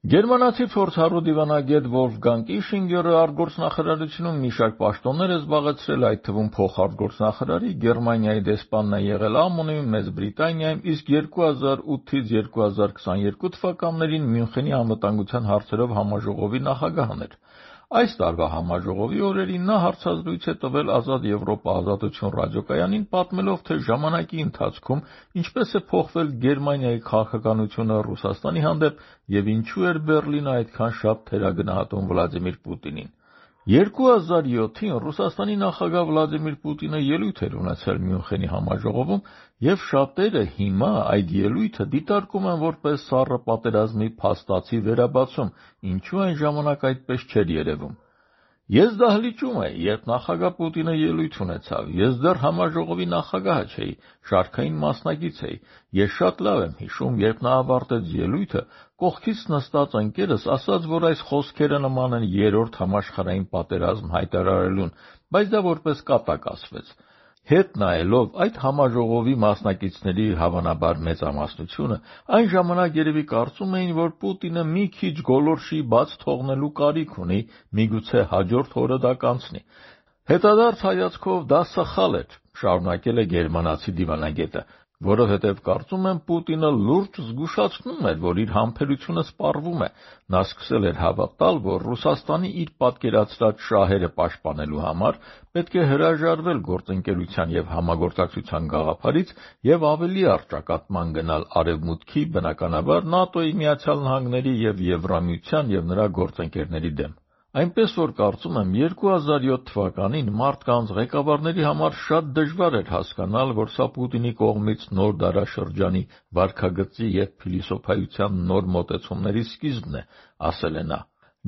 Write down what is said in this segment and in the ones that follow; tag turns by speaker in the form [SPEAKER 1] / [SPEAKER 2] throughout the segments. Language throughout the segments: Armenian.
[SPEAKER 1] Գերմանացի փորձառու դիվանագետ Վոլֆգանգ Իշինգերը արտգործնախարարությունում մի շարք պաշտոններ է զբաղեցրել, այդ թվում փոխարտգործնախարարի, Գերմանիայի դեսպանն է եղել ԱՄՆ-ում, Մեծ Բրիտանիայում, իսկ 2008-ից 2022 թվականներին Մյունխենի անվտանգության հարցերով համաժողովի նախագահն էր։ Այս տարվա համաժողովի օրերին նա հարցազրույց է տվել Ազատ Եվրոպա Ազատություն ռադիոկայանին, պատմելով, թե ժամանակի ընթացքում ինչպես է փոխվել Գերմանիայի քաղաքականությունը Ռուսաստանի հանդեպ և ինչու էր Բեռլինը այդքան շատ թերագնահատում Վլադիմիր Պուտինին։ 2007-ին Ռուսաստանի նախագահ Վլադիմիր Պուտինը ելույթ էր ունեցել Մյունխենի համաժողովում, և շատերը հիմա այդ ելույթը դիտարկում են որպես սառը պատերազմի փաստացի վերաբացում, ինչու այն ժամանակ այդպես չէր երևում։ Ես դահլիճում էի, երբ նախագահ Պուտինը ելույթ ունեցավ, ես դեռ համաժողովի նախագահը չէի, շարքային մասնակից էի, ես շատ լավ եմ հիշում, երբ նա ավարտեց ելույթը, կողքից նստած ընկերս ասաց, որ այս խոսքերը նման են երրորդ համաշխարհային պատերազմ հայտարարելուն, բայց դա որպես կատակ ասվեց։ Հետ նայելով այդ համաժողովի մասնակիցների հավանաբար մեծամասնությունը այն ժամանակ երևի կարծում էին, որ Պուտինը մի քիչ գոլորշի բաց թողնելու կարիք ունի, միգուցե հաջորդ օրը դա կանցնի։ Հետադարձ հայացքով դա սխալ էր, շարունակել է գերմանացի դիվանագետը, որովհետև կարծում եմ Պուտինը լուրջ զգուշացնում էր, որ իր համբերությունը սպառվում է։ Նա սկսել էր հավատալ, որ Ռուսաստանի իր պատկերացրած շահերը պաշտպանելու համար պետք է հրաժարվել գործընկերության և համագործակցության գաղափարից և ավելի առճակատման գնալ Արևմուտքի, բնականաբար ՆԱՏՕ-ի, Միացյալ Նահանգների և Եվրամիության և նրա գործընկերների դեմ։ Այնպես որ կարծում եմ 2007 թվականին մարդկանց, ղեկավարների համար շատ դժվար էր հասկանալ, որ սա Պուտինի կողմից նոր դարաշրջանի վարքագծի և փիլիսոփայության նոր մոտեցումների սկիզբն է, ասել է նա։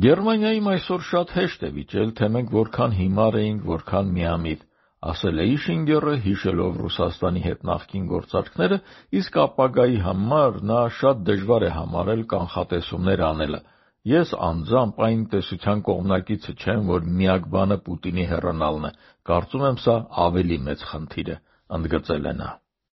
[SPEAKER 1] Գերմանիայում այսօր շատ հեշտ է վիճել, թե մենք որքան հիմար էինք, որքան միամիտ, ասել է Իշինգերը, հիշելով Ռուսաստանի հետ նախկին գործարքները, իսկ ապագայի համար նա շատ դժվար է համարել կանխատեսումներ անելը։ Ես անձամբ այն տեսության կողմնակիցը չեմ, որ միակ բանը Պուտինի հեռանալն է, կարծում եմ սա ավելի մեծ խնդիր է, ընդգծել է նա։